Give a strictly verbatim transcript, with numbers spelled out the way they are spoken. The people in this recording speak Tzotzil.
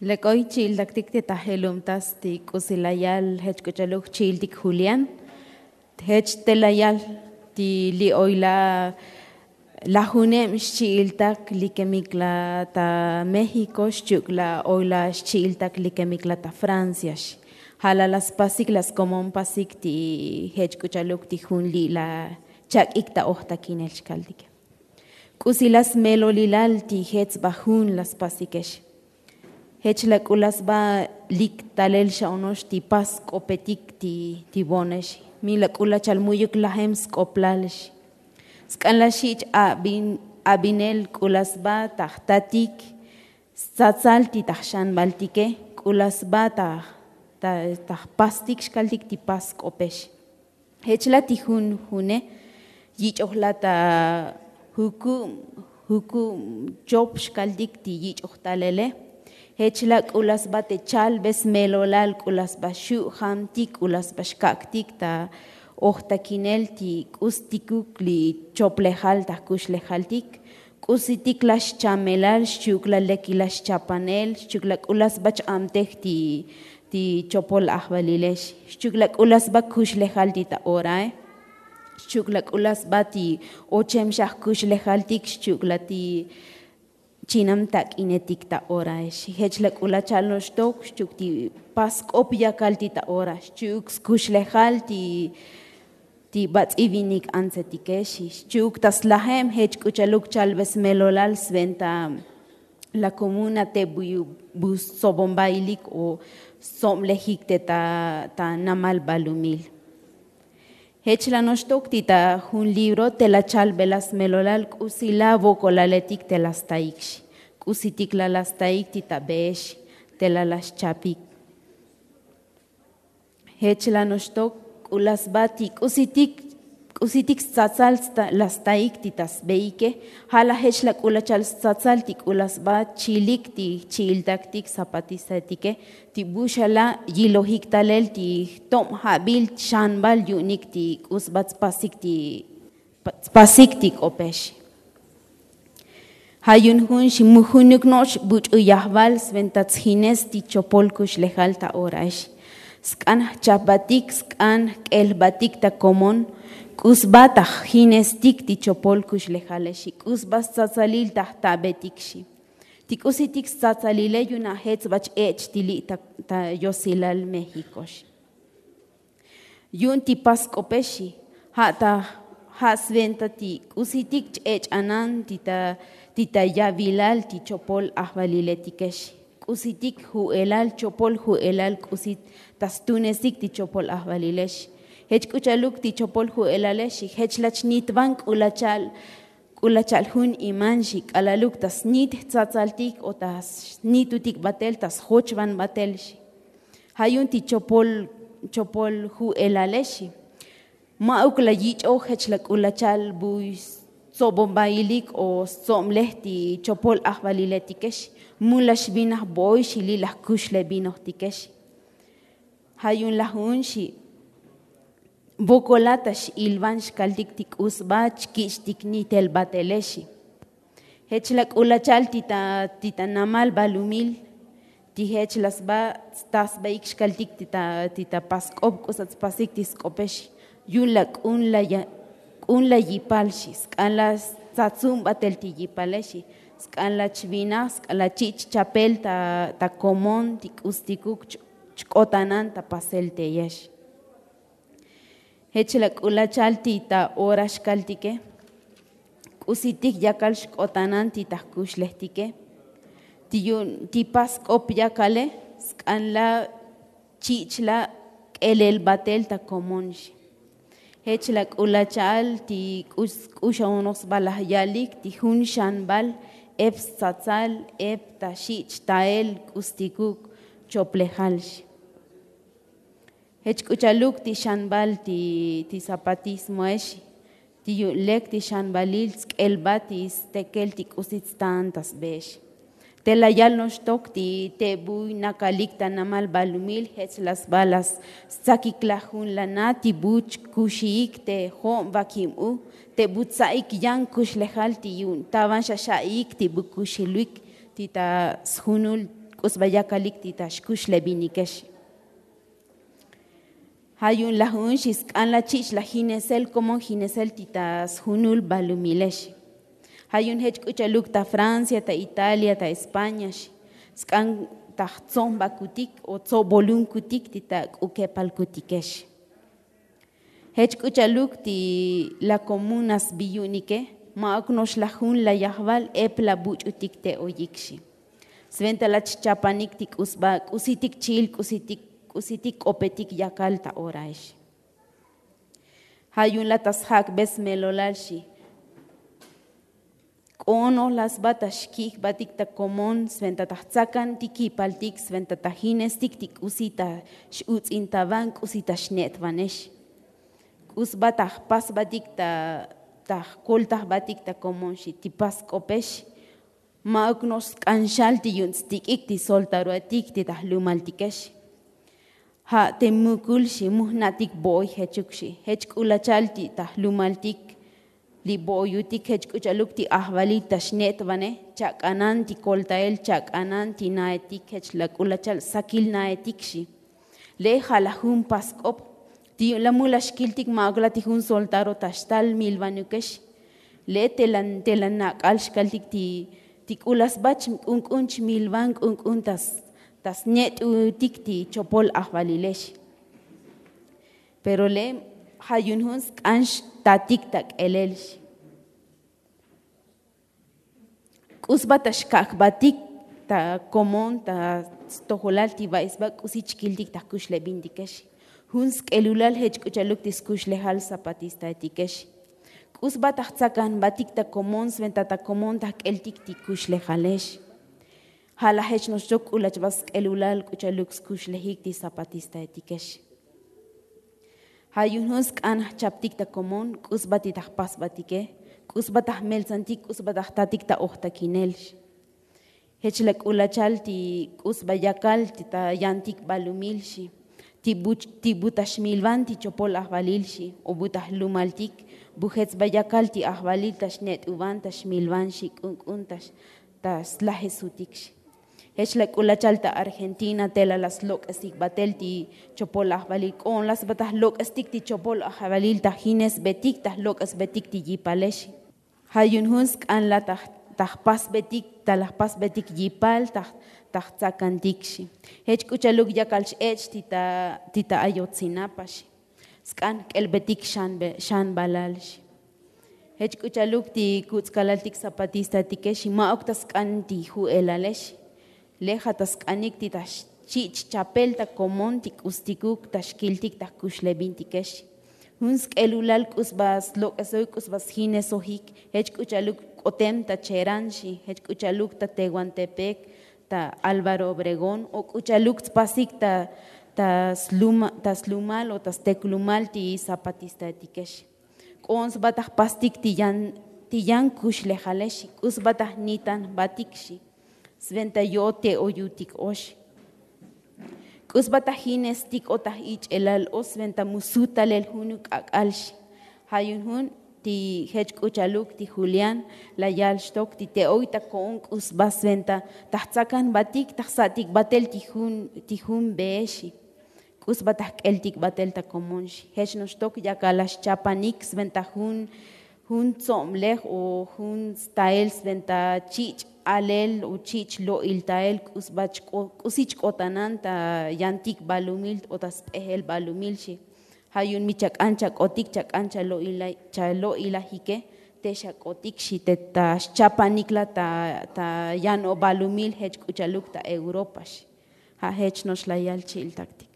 Lek oy chi'iltaktik te ta jelumtas ti k'usi la yal jech k'u cha'luk chi'iltik julián. Jech te la yal ti li' oy la lajuneb xchi'iltak likemik la ta méxiko xchi'uk la oy la xchi'iltak likemik la ta francia. Ja' la la spasik la skomonpasik ti jech k'u cha'luk ti jun li' la chak'ik ta ojtakinel xkaltike. K'usi la smelolilal ti jech sba jun la spasikex. Jech la k'u la sba lik talel xa ono'ox ti pas sk'opetik ti ti bo'onex. Mi la k'u la cha'al mu'yuk lajem sk'oplal xi. Sk'an la xich abinel k'u la sba ta jtatik stsatsal ti ta jxanbaltike k'u la sba ta ta jpastik xkaltik ti pas sk'opex. Jech la ti jun june yich'oj la ta jukub jukub chop xkaltik ti yich'oj talele. Jech la k'u la sba te chalbe smelolal k'u la sba xu' jamtik k'u la sba xkak'tik ta ojtakinel ti k'ustikuk li choplejal ta jkuxlejaltik. K'usitik la xchamelal xchi'uk la lekilal xchapanel xchi'uk la k'u la sba ch'abtej ti ti chopol ajvalilex. Xchi'uk la k'u la sba kuxlejal ti ta orae. Xchi'uk la k'u la sba ti ochem xa jkuxlejaltik xchi'uk la ti chinam tak'inetik ta oraex. Jech la k'u la cha'al noxtok xchi'uk ti pas sk'op yakal ti ta ora xchi'uk skuxlejal ti ti bats'ivinik antsetikex. Xchi'uk ta slajem jech k'u cha'luk chalbe smelolal sventa la komuna te bu stsobonbailik o stsobnlejik te ta namal balumil. Jech la noxtok ti ta jun libro te la chalbe la smelolal k'usi la vokolaletik te la staik xi. K'usitik la la staik ti ta beex te la la xchapik. Jech la noxtok k'u la sba ti k'usitik k'usitik stsatsal la staik ti ta sbeike. Ja' la jech la k'u la cha'al stsatsal ti k'u la sba chilik ti jchi'iltaktik zapatistatike ti bu xa la yilojik talel ti jtob jabil xanbal yu'unik ti k'u sba tspasik ti tspasik ti k'opex. Ja' yu'un jun xi mu junuk no'ox buch'u yajval sventa tsjines ti chopol kuxlejal ta oraex. Sk'an jchapbatik sk'an jk'elbatik ta komon k'u sba ta jjinestik ti chopol kuxlejalex xi k'u sba stsatsalil ta jtabetik xi. Ti k'usitik stsatsalile yu'un a jech sba ch-ech' ti li' ta yosilal méxiko xi. Yu'un ti pas sk'opex xi. Ja' ta ja' sventa ti k'usitik ch-ech'anan ti ta ti ta yavilal ti chopol ajvaliletikex. K'usitik ju'elal chopol ju'elal k'usi ta stunesik ti chopol ajvalilex. Jech k'u cha'luk ti chopol ju'elalex xi jech la chnitvan k'u la cha'al k'u la cha'al jun iman xi k'alaluk ta snit jtsatsaltik o ta snitutik batel ta sjochvan batel xi. Ja' yu'un ti chopol chopol ju'elalex xi. Ma'uk la yich'oj jech la k'u la cha'al buy stsobonbailik o stsobnlej ti chopol ajvaliletikex. Mu la xvinaj boy xi li' la jkuxlevinojtikex. Ja' yu'un la jun xi. Vokolat ta x'ilvan xkaltik ti k'u sba chkich'tik nitel batelex xi. Jech la k'u la cha'al ti ta ti ta namal balumil ti jech la sba sta sbaik xkaltik ti ta ti ta pas sk'op k'u sba tspasik ti sk'opex xi. Yu'un la k'un la ya k'un la yipal xi sk'an la stsatsum batel ti yipalex xi. Sk'an la chvinaj sk'an la chich' chapel ta ta komon ti k'ustikuk chk'otanan ta pasel teyex. Jech la k'u la cha'al ti ta ora xkaltike. K'usitik yakal xk'otanan ti ta jkuxlejtike. Ti yu'un ti pas sk'op yakale sk'an la chich' la k'elel batel ta komon xi. Jech la k'u la cha'al ti k'u xa onoj sba laj yalik ti jun xanbal ep stsatsal ep ta xich' tael k'ustikuk choplejal xi. Jech k'u cha'luk ti xanbal ti ti zapatismoex xi. Ti yu'un lek ti xanbalil tsk'elbat ti stekel ti k'usi tstaan ta sbeex. Te la yal noxtok ti te buy nakalik ta namal balumil jech la sba la stsakik la jun lana ti bu chkuxiik te jo'on vakib u te bu tsa'ik yan kuxlejal ti yu'un tavan xa xa'iik ti bu kuxiluik ti ta sjunul K'u sba yakalik ti ta xkuxlebinike xi. Ja' yu'un laj un xi sk'an la chich' laj jinesel komon jinesel ti ta sjunul balumile xi. Ja' yu'un jech k'u cha'luk ta francia ta italia ta españa xi. Sk'an ta jtso'nbakutik o tso'bolunkutik ti ta k'u kepalkutike xi. Jech k'u cha'luk ti la komunas bi yu'unike ma'uk no'ox laj jun la yajval ep la buch'utik te oyik xi. Sventa la chchapanik ti k'u sba k'usitik chi'il k'usitik k'opetik yakal ta orae xi. Ja' yu'un la ta sjak'be smelolal xi. K'o'on noj la sba ta xki' jbatik ta komon sventa ta jtsakantik yipaltik sventa ta jinestik ti k'usi ta x'uts'intavan k'usi ta xne'tvanex. K'u sba ta jpasbatik ta jkolta jbatik ta komon xi ti pas k'opex. Ma'uk no'ox sk'an xal ti yu'un tstik'ik ti soltaroetik ti ta jlumaltikex. Ja' te mukul xi mu jna'tik bo'oy jechuk xi jech k'u la cha'al ti ta jlumaltik. Li bo'oyutik jech k'u cha'luk ti ajvalil ta xne'tvane chak'anan ti koltael chak'anan ti naetik jech la k'u la cha'al sakil naetik xi. Le' ja' laj jun pask'op ti yu'un la mu la xkiltik ma'uk la ti jun soltaro ta xtal milvanukex. Le' te la nak'al xkaltik ti k'u la sba chk'unk'un chmilvan k'unk'un ta snet'utik ti chopol ajvalile xi. Pero le' ja' yu'un jun sk'an xtatik ta k'elel xi. K'u sba ta xkak' jbatik ta komon ta stojolal ti va'i sba k'usi chkiltik ta jkuxlebintike xi. Jun sk'elulal jech k'u cha'luk ti skuxlejal zapatistaetike xi. K'u sba ta jtsakan jbatik ta komon sventa ta komon ta jk'eltik ti kuxlejale xi. Ja' laj jech no'ox chok k'u lach sba sk'elulal k'u cha'luk skuxlejik ti zapatistaetike xi. Ja' yu'un jun sk'an jchaptik ta komon k'u sba ti ta jpasbatike k'u sba ta jmeltsantik k'u sba ta jtatik ta ojtakinel xi. Jech la k'u la cha'al ti k'u sba yakal ti ta yantik balumil xi. Ti bu ta xmilvan ti chopol ajvalil xi o bu ta jlumaltik bu jech sba yakal ti ajvalil ta xnet'uvan ta xmilvan xi k'unk'un ta slajesutik xi. Jech la k'u la cha'al ta argentina tela la slok'esik batel ti chopol ajvalil k'o'on la sba ta jlok'estik ti chopol ajvalil ta jinesbetik ta jlok'esbetik ti yipale xi. Ja' yu'un jun sk'an la ta jpasbetik ta la jpasbetik yipal ta jtsakantik xi. Jech k'u cha'luk yakal x'ech' ti ta ayotzinapa xi. Sk'an jk'elbetik xanbalal xi. Jech k'u cha'luk ti kutz'kalaltik zapatistatike xi ma'uk ta sk'an ti ju'elale xi. Le' ja' ta sk'anik ti ta xchi' chchapel ta komon ti k'ustikuk ta xkiltik ta jkuxlebintike xi. Jun sk'elulal k'u sba slok'esoik k'u sba sjinesojik jech k'u cha'luk k'otem ta cheran xi jech k'u cha'luk ta tehuantepec ta álvaro obregón o k'u cha'luk tspasik ta slumal o ta steklumal ti zapatistaetike xi. K'o'on sba ta jpastik ti yan kuxlejale xi k'u sba ta jnitan jbatik xi. Sventa yo'ot te oyutik ox k'u sba ta jinestik o ta jich'elal o sventa mu sut talel junuk k'ak'al xi. Ja' yu'un jun ti jech k'u cha'luk ti julián la yal xtok ti te oy ta ko'on k'u sba sventa ta jtsakan jbatik ta jsa'tik batel ti jun bee xi. K'u sba ta jk'eltik batel ta komon xi jech no'ox tok yakal la xchapanik sventa jun tsoblej o jun stael sventa chich' alel o chich' lo'il tael k'u sba k'usi chk'otanan ta yantik balumil o ta sp'ejel balumil xi. Ja' yu'un mi chak'an chak'otik chak'an chalo'ilajike te xak'otik xi te ta xchapanik la ta yan o balumil jech k'u cha'luk ta europa xi. Ja' jech no'ox la yal chi'iltaktik.